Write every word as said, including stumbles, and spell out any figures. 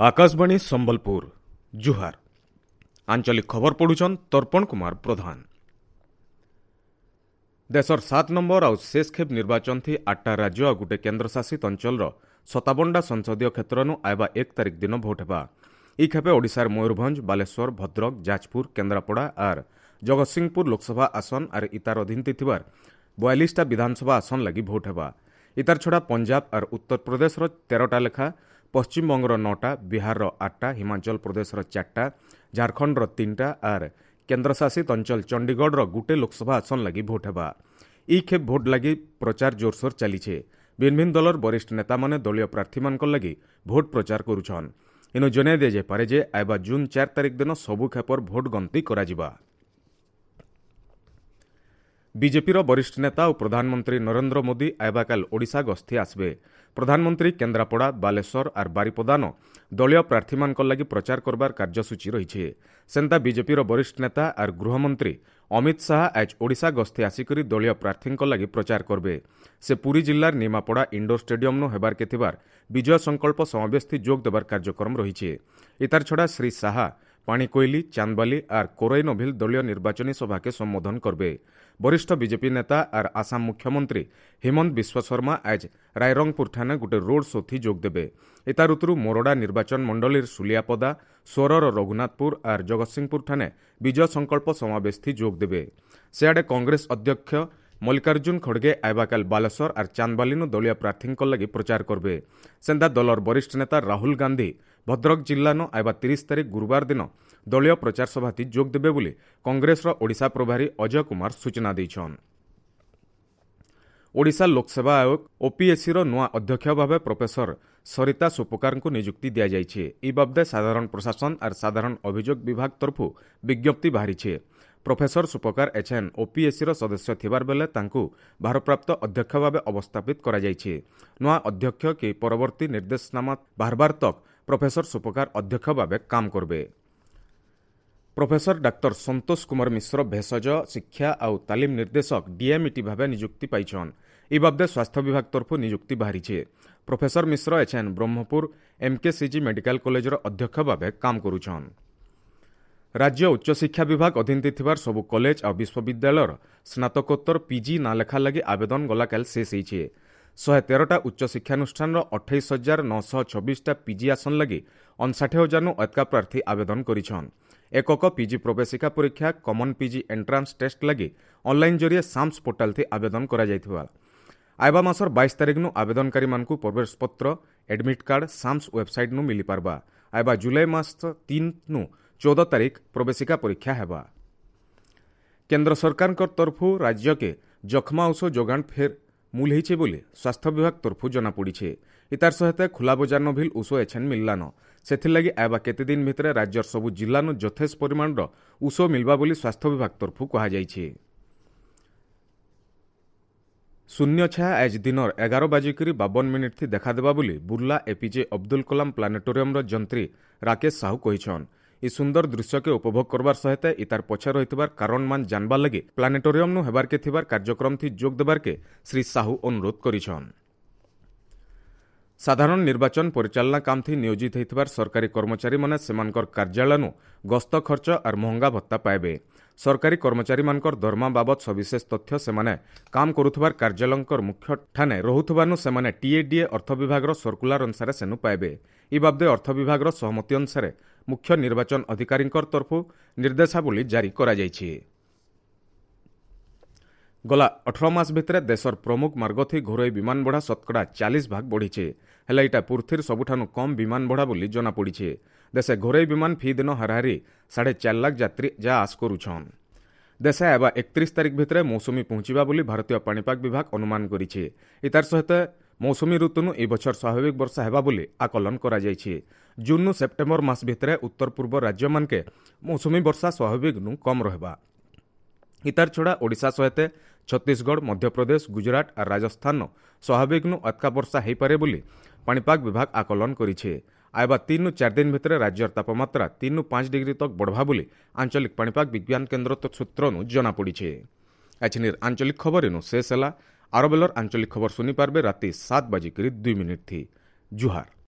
ଆକାଶବାଣୀ ସମ୍ବଲପୁର ଜୁହାର ଆଞ୍ଚଳିକ ଖବର ପଢୁଛନ୍ ତର୍ପଣ କୁମାର ପ୍ରଧାନ ଦେଶର ସାତ ନମ୍ବର ଆଉ ଶେଷ ଖେପ୍ ନିର୍ବାଚନ ଥି ଆଠଟା ରାଜ୍ୟ ଆଉ ଗୋଟେ କେନ୍ଦ୍ରଶାସିତ ଅଞ୍ଚଳର ସତାବନଟା ସଂସଦୀୟ କ୍ଷେତ୍ରନୁ ଆଇବା ଏକ ତାରିଖ ଦିନ ଭୋଟ ହେବା ଇ ଖେପେ ଓଡ଼ିଶାର ମୟୂରଭଞ୍ଜ ବାଲେଶ୍ୱର ଭଦ୍ରକ ଯାଜପୁର କେନ୍ଦ୍ରାପଡ଼ା ଆର୍ ଜଗତସିଂହପୁର ଲୋକସଭା ଆସନ ଆର୍ ଇତାର ଅଧୀନତି ଥିବାର ବୟାଳିଶଟା ବିଧାନସଭା ଆସନ ଲାଗି ଭୋଟ ହେବା ଇତାର ଛଡ଼ା ପଞ୍ଜାବ ଆର୍ ଉତ୍ତରପ୍ରଦେଶର ତେରଟା ଲେଖା ପଶ୍ଚିମବଙ୍ଗର ନଅଟା ବିହାରର ଆଠଟା ହିମାଚଳ ପ୍ରଦେଶର ଚାରିଟା ଝାଡ଼ଖଣ୍ଡର ତିନିଟା ଆର୍ କେନ୍ଦ୍ରଶାସିତ ଅଞ୍ଚଳ ଚଣ୍ଡିଗଡ଼ର ଗୁଟେ ଲୋକସଭା ଆସନ ଲାଗି ଭୋଟ ହେବା ଇ ଖେପ୍ ଭୋଟ ଲାଗି ପ୍ରଚାର ଜୋରସୋର ଚାଲିଛେ ଭିନ୍ ଭିନ୍ ଦଳର ବରିଷ୍ଠ ନେତାମାନେ ଦଳୀୟ ପ୍ରାର୍ଥୀମାନଙ୍କ ଲାଗି ଭୋଟ ପ୍ରଚାର କରୁଛନ୍ ଇନୁ ଜଣାଇ ଦିଆଯାଇପାରେ ଯେ ଆଇବା ଜୁନ୍ ଚାରି ତାରିଖ ଦିନ ସବୁ ଖେପର ଭୋଟ ଗଣତି କରାଯିବା ବିଜେପିର ବରିଷ୍ଠ ନେତା ଓ ପ୍ରଧାନମନ୍ତ୍ରୀ ନରେନ୍ଦ୍ର ମୋଦି ଆଇବାକାଲ ଓଡ଼ିଶା ଗସ୍ତି ଆସିବେ ପ୍ରଧାନମନ୍ତ୍ରୀ କେନ୍ଦ୍ରାପଡ଼ା ବାଲେଶ୍ୱର ଆର୍ ବାରିପଦାନ ଦଳୀୟ ପ୍ରାର୍ଥୀମାନଙ୍କ ଲାଗି ପ୍ରଚାର କରବାର କାର୍ଯ୍ୟସୂଚୀ ରହିଛି ସେନ୍ତା ବିଜେପିର ବରିଷ୍ଠ ନେତା ଆର୍ ଗୃହମନ୍ତ୍ରୀ ଅମିତ ଶାହା ଆଜ୍ ଓଡ଼ିଶା ଗସ୍ତି ଆସିକରି ଦଳୀୟ ପ୍ରାର୍ଥୀଙ୍କ ଲାଗି ପ୍ରଚାର କରିବେ ସେ ପୁରୀ ଜିଲ୍ଲାର ନିମାପଡ଼ା ଇଣ୍ଡୋର ଷ୍ଟାଡିୟମ୍ନୁ ହେବାର୍କେ ଥିବାର ବିଜୟ ସଂକଳ୍ପ ସମାବେଶଥି ଯୋଗ ଦେବାର କାର୍ଯ୍ୟକ୍ରମ ରହିଛି ଇତାର ଛଡ଼ା ଶ୍ରୀ ଶାହା ପାଣିକୋଇଲି ଚାନ୍ଦବାଲି ଆର୍ କୋରାଇ ନଭିଲ ଦଳୀୟ ନିର୍ବାଚନୀ ସଭାକେ ସମ୍ବୋଧନ କରିବେ ବରିଷ୍ଠ ବିଜେପି ନେତା ଆର୍ ଆସାମ ମୁଖ୍ୟମନ୍ତ୍ରୀ ହିମନ୍ତ ବିଶ୍ୱଶର୍ମା ଆଜ୍ ରାଇରଙ୍ଗପୁର ଠାନେ ଗୋଟେ ରୋଡ୍ ଶୋଥି ଯୋଗ ଦେବେ ଏତାର ଉତ୍ତରୁ ମୋରଡ଼ା ନିର୍ବାଚନ ମଣ୍ଡଳୀର ସୁଲିଆପଦା ସ୍ୱରର ରଘୁନାଥପୁର ଆର୍ ଜଗତସିଂହପୁର ଠାନେ ବିଜୟ ସଂକଳ୍ପ ସମାବେଶଥି ଯୋଗ ଦେବେ ସେଆଡ଼େ କଂଗ୍ରେସ ଅଧ୍ୟକ୍ଷ ମଲ୍ଲିକାର୍ଜୁନ ଖଡ଼ଗେ ଆଇବାକାଲ ବାଲେଶ୍ୱର ଆର୍ ଚାନ୍ଦବାଲିନୁ ଦଳୀୟ ପ୍ରାର୍ଥୀଙ୍କ ଲାଗି ପ୍ରଚାର କରିବେ ସେନ୍ତା ଦଳର ବରିଷ୍ଠ ନେତା ରାହୁଲ ଗାନ୍ଧୀ ଭଦ୍ରକ ଜିଲ୍ଲାନୁ ଆଇବା ତିରିଶ ତାରିଖ ଗୁରୁବାର ଦିନ ଦଳୀୟ ପ୍ରଚାର ସଭାଥି ଯୋଗ ଦେବେ ବୋଲି କଂଗ୍ରେସର ଓଡ଼ିଶା ପ୍ରଭାରୀ ଅଜୟ କୁମାର ସୂଚନା ଦେଇଛନ୍ ଓଡ଼ିଶା ଲୋକସେବା ଆୟୋଗ ଓପିଏସ୍ସିର ନୂଆ ଅଧ୍ୟକ୍ଷ ଭାବେ ପ୍ରଫେସର ସରିତା ସୋପକାରଙ୍କୁ ନିଯୁକ୍ତି ଦିଆଯାଇଛି ଇ ବାବଦେ ସାଧାରଣ ପ୍ରଶାସନ ଆର୍ ସାଧାରଣ ଅଭିଯୋଗ ବିଭାଗ ତରଫରୁ ବିଜ୍ଞପ୍ତି ବାହାରିଛି ପ୍ରଫେସର ସୁପକାର ଏଚ୍ଏନ୍ ଓପିଏସ୍ସିର ସଦସ୍ୟ ଥିବାର ବେଲେ ତାଙ୍କୁ ଭାରପ୍ରାପ୍ତ ଅଧ୍ୟକ୍ଷ ଭାବେ ଅବସ୍ଥାପିତ କରାଯାଇଛି ନୂଆ ଅଧ୍ୟକ୍ଷ କି ପରବର୍ତ୍ତୀ ନିର୍ଦ୍ଦେଶନାମା ବାହାରବାର ତକ୍ ପ୍ରଫେସର ସୁପକାର ଅଧ୍ୟକ୍ଷ ଭାବେ କାମ କରିବେ ପ୍ରଫେସର ଡାକ୍ତର ସନ୍ତୋଷ କୁମାର ମିଶ୍ର ଭେଷଜ ଶିକ୍ଷା ଆଉ ତାଲିମ ନିର୍ଦ୍ଦେଶକ ଡିଏମ୍ଇଟି ଭାବେ ନିଯୁକ୍ତି ପାଇଛନ୍ ଇ ବାବଦେ ସ୍ୱାସ୍ଥ୍ୟ ବିଭାଗ ତରଫରୁ ନିଯୁକ୍ତି ବାହାରିଛି professor Mishra HN Brahmapur MKCG medical କଲେଜର ଅଧ୍ୟକ୍ଷ ଭାବେ କାମ କରୁଛନ୍ ରାଜ୍ୟ ଉଚ୍ଚଶିକ୍ଷା ବିଭାଗ ଅଧୀନରେ ଥିବାର ସବୁ କଲେଜ ଆଉ ବିଶ୍ୱବିଦ୍ୟାଳୟର ସ୍ନାତକୋତ୍ତର ପିଜି ନାଁ ଲେଖା ଲାଗି ଆବେଦନ ଗଲାକାଲି ଶେଷ ହେଇଛି ଶହେ ତେରଟା ଉଚ୍ଚଶିକ୍ଷାନୁଷ୍ଠାନର ଅଠେଇଶ ହଜାର ନଅଶହ ଛବିଶଟା ପିଜି ଆସନ ଲାଗି ଅଣଷାଠିଏ ହଜାରନୁ ଅଧିକା ପ୍ରାର୍ଥୀ ଆବେଦନ କରିଛନ୍ ଏକକ ପିଜି ପ୍ରବେଶିକା ପରୀକ୍ଷା କମନ୍ ପିଜି ଏଣ୍ଟ୍ରାନ୍ସ ଟେଷ୍ଟ ଲାଗି ଅନ୍ଲାଇନ୍ ଜରିଏ ସାମ୍ସ ପୋର୍ଟାଲ୍ଥି ଆବେଦନ କରାଯାଇଥିବା ଆଇବା ମାସର ବାଇଶ ତାରିଖନୁ ଆବେଦନକାରୀମାନଙ୍କୁ ପ୍ରବେଶପତ୍ର ଆଡମିଟ୍ କାର୍ଡ ସାମ୍ସ ୱେବସାଇଟ୍ନୁ ମିଳିପାରବା ଆଇବା ଜୁଲାଇ ମାସ ତିନନୁ ଚଉଦ ତାରିଖ ପ୍ରବେଶିକା ପରୀକ୍ଷା ହେବା କେନ୍ଦ୍ର ସରକାରଙ୍କ ତରଫରୁ ରାଜ୍ୟକେ ଯକ୍ଷ୍ମା ଔଷଧ ଯୋଗାଣ ଫେର୍ ମୂଲ ହେଇଛେ ବୋଲି ସ୍ୱାସ୍ଥ୍ୟ ବିଭାଗ ତରଫରୁ ଜଣାପଡ଼ିছে ଇତାର ସହିତ ଖୋଲା ବଜାର ଭିଲ ଔଷଧ ଏଛେନ୍ ମିଳିଲାନ ସେଥିର୍ଲାଗି ଆଇବା କେତେ ଦିନ ଭିତରେ ରାଜ୍ୟର ସବୁ ଜିଲ୍ଲାନୁ ଯଥେଷ୍ଟ ପରିମାଣର ଔଷଧ ମିଳିବା ବୋଲି ସ୍ୱାସ୍ଥ୍ୟ ବିଭାଗ ତରଫରୁ କୁହାଯାଇଛି ଶୂନ୍ୟ ଛାୟା ଆଜ୍ ଦିନର ଏଗାର ବାଜିକରି ବାବନ ମିନିଟ୍ ଦେଖାଦେବା ବୋଲି ବୁର୍ଲା ଏପିଜେ ଅବଦୁଲ କଲାମ ପ୍ଲାନେଟୋରିୟମର ଯନ୍ତ୍ରୀ ରାକେଶ ସାହୁ କହିଛନ୍ ଇ ସୁନ୍ଦର ଦୃଶ୍ୟକେ ଉପଭୋଗ କରବାର ସହିତ ଇତାର ପଛେ ରହିଥିବାର କାରଣମାନ ଜାନବାର ଲାଗି ପ୍ଲାନେଟୋରିୟମନୁ ହେବାରକେ ଥିବାର କାର୍ଯ୍ୟକ୍ରମଥି ଯୋଗ ଦେବାରକେ ଶ୍ରୀ ସାହୁ ଅନୁରୋଧ କରିଛନ୍ ସାଧାରଣ ନିର୍ବାଚନ ପରିଚାଳନା କାମଥି ନିୟୋଜିତ ହୋଇଥିବାର ସରକାରୀ କର୍ମଚାରୀମାନେ ସେମାନଙ୍କର କାର୍ଯ୍ୟାଳୟନୁ ଗସ୍ତ ଖର୍ଚ୍ଚ ଆର୍ ମହଙ୍ଗା ଭତ୍ତା ପାଇବେ ସରକାରୀ କର୍ମଚାରୀମାନଙ୍କର ଦରମା ବାବଦ ସବିଶେଷ ତଥ୍ୟ ସେମାନେ କାମ କରୁଥିବାର କାର୍ଯ୍ୟାଳୟଙ୍କର ମୁଖ୍ୟ ଠାନେ ରହୁଥିବାନୁ ସେମାନେ ଟିଏଡିଏ ଅର୍ଥ ବିଭାଗର ସର୍କୁଲାର ଅନୁସାରେ ସେନୁ ପାଇବେ ଇ ବାବଦେ ଅର୍ଥ ବିଭାଗର ସହମତି ଅନୁସାରେ ମୁଖ୍ୟ ନିର୍ବାଚନ ଅଧିକାରୀଙ୍କ ତରଫରୁ ନିର୍ଦ୍ଦେଶାବଳୀ ଜାରି କରାଯାଇଛି ଗଲା ଅଠର ମାସ ଭିତରେ ଦେଶର ପ୍ରମୁଖ ମାର୍ଗଥି ଘରୋଇ ବିମାନ ଭଡ଼ା ଶତକଡ଼ା ଚାଳିଶ ଭାଗ ବଢ଼ିছে ହେଲେ ଏଇଟା ପୃଥିବୀର ସବୁଠାରୁ କମ୍ ବିମାନ ଭଡ଼ା ବୋଲି ଜଣାପଡ଼ିছে ଦେଶେ ଘରୋଇ ବିମାନ ଫି ଦିନ ହାରାହାରି ସାଢ଼େ ଚାରି ଲାଖ ଯାତ୍ରୀ ଯା ଆସ କରୁଛନ୍ ଦେଶେ ହେବା ଏକତିରିଶ ତାରିଖ ଭିତରେ ମୌସୁମୀ ପହଞ୍ଚିବା ବୋଲି ଭାରତୀୟ ପାଣିପାଗ ବିଭାଗ ଅନୁମାନ କରିছে ଇତାର ସହିତ ମୌସୁମୀ ଋତୁନୁ ଏ ବଛର ସ୍ୱାଭାବିକ ବର୍ଷା ହେବା ବୋଲି ଆକଳନ କରାଯାଇଛି ଜୁନ୍ନୁ ସେପ୍ଟେମ୍ବର ମାସ ଭିତରେ ଉତ୍ତର ପୂର୍ବ ରାଜ୍ୟମାନକେ ମୌସୁମୀ ବର୍ଷା ସ୍ୱାଭାବିକନୁ କମ୍ ରହିବା ଇତାର ଛଡ଼ା ଓଡ଼ିଶା ସହିତ ଛତିଶଗଡ଼ ମଧ୍ୟପ୍ରଦେଶ ଗୁଜରାଟ ଆର୍ ରାଜସ୍ଥାନ ସ୍ୱାଭାବିକନୁ ଅତକା ବର୍ଷା ହୋଇପାରେ ବୋଲି ପାଣିପାଗ ବିଭାଗ ଆକଳନ କରିছে ଆଇବା ତିନରୁ ଚାରି ଦିନ ଭିତରେ ରାଜ୍ୟର ତାପମାତ୍ରା ତିନରୁ ପାଞ୍ଚ ଡିଗ୍ରୀ ତକ୍ ବଢ଼ବା ବୋଲି ଆଞ୍ଚଳିକ ପାଣିପାଗ ବିଜ୍ଞାନ କେନ୍ଦ୍ର ସୂତ୍ରନୁ ଜଣାପଡ଼ିছে ଏଛିନିର ଆଞ୍ଚଳିକ ଖବର ଇନୁ ଶେଷ ହେଲା ଆର ବେଲର ଆଞ୍ଚଳିକ ଖବର ଶୁଣିପାରିବେ ରାତି ସାତ ବାଜିକରି ଦୁଇ ମିନିଟ୍ ଥି ଜୁହାର